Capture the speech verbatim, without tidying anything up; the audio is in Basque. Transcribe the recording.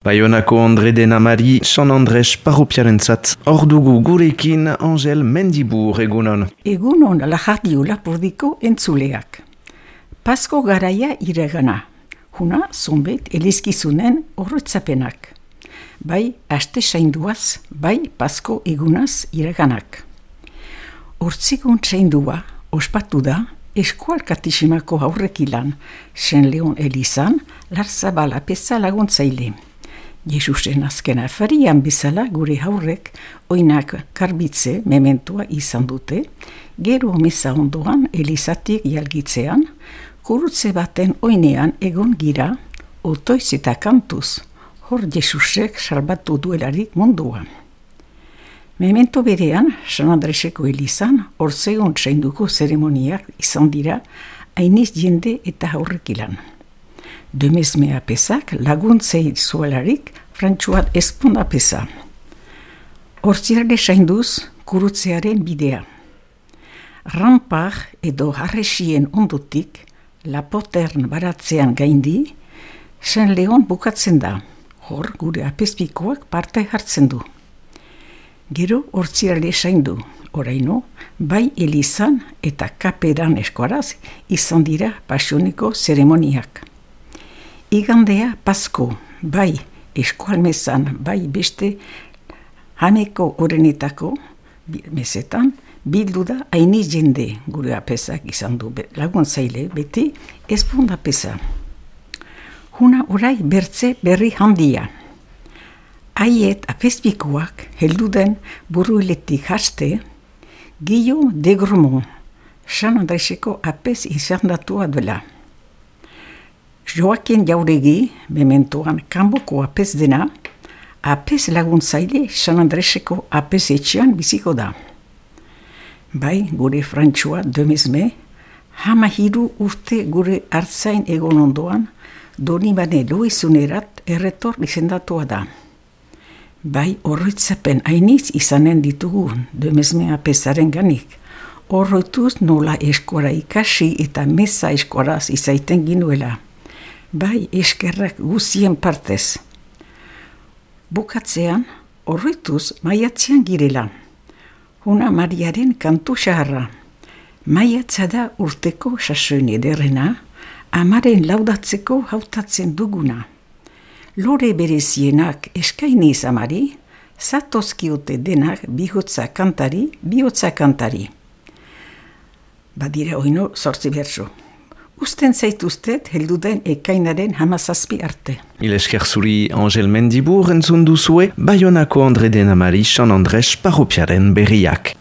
Baionako Andre Denamari, San Andres parropiarentzat, ordugu gurekin Angel Mendibur egunon. Egunon lajardiu lapurdiko entzuleak. Pasko garaia iregana, huna zonbet elizkizunen horretzapenak. Bai aste sainduaz, bai pasko egunaz ireganak. Hortzigun saindua ospatu da eskual katisimako aurrekilan, Sen Leon Elizan, Larzabala peza laguntzaile. Jesusen azken afarian bezala gure haurrek oinak karbitze mementua izan dute, gero meza ondoan Elizatik jalgitzean, kurutze baten oinean egon gira, otoiz eta kantuz, hor Jesusek salbatu duelarik munduan. Memento berean, San Andreseko Elizan, orzegon sainduko zeremoniak izan dira, hainiz jende eta haurrekilan. Demezmea pesak laguntzei zuelarik frantsuat esponda pesa. Hortzirale sainduz kurutzearen bidea. Rampar edo harresien ondotik, lapotern baratzean gaindi, Sen Leon bukatzen da, hor gure apezpikoak parte hartzen du. Gero hortzirale saindu, oraino, bai Elizan eta kaperan eskuaraz izan dira pasioniko zeremoniak. Igandea pasko, bai eskualmezan, bai beste haneko orenetako mesetan, bildu da hainiz jende gure apezak izan du laguntzaile beti esponda pesa. Huna orai bertze berri handia. Haiet apezpikoak helduden buruiletik haste, Guillaume de Gromont, San Andreseko apez izandatua dela. Joaquin Jauregi, mementoan kanboko apez dena, apez laguntzaile San Andreseko apez etxean biziko da. Bai, gure Frantsua Demezme, hama hiru urte gure hartzain egon ondoan, Donibane Loizunerat erretor izendatua da. Bai, horretzapen hainiz izanen ditugu Demezme apezaren ganik. Horretuz nola eskora ikasi eta meza eskoraz izaiten ginuela. Bai, eskerrak guzien partez. Bukatzean, horretuz maiatzean girela. Huna Mariaren kantu xaharra. Maiatza da urteko sasoin ederrena, amaren laudatzeko hautatzen duguna. Lore berezienak eskainiz amari, zatozkiote denak bihotza kantari, bihotza kantari. Badira oino sortzi bertso. Usten zaituztet helduden ekainaren hamazazpi arte. Il esker zuri Angel Mendibur entzun duzue, Baionako Andre Denamari, San Andres parropiaren berriak.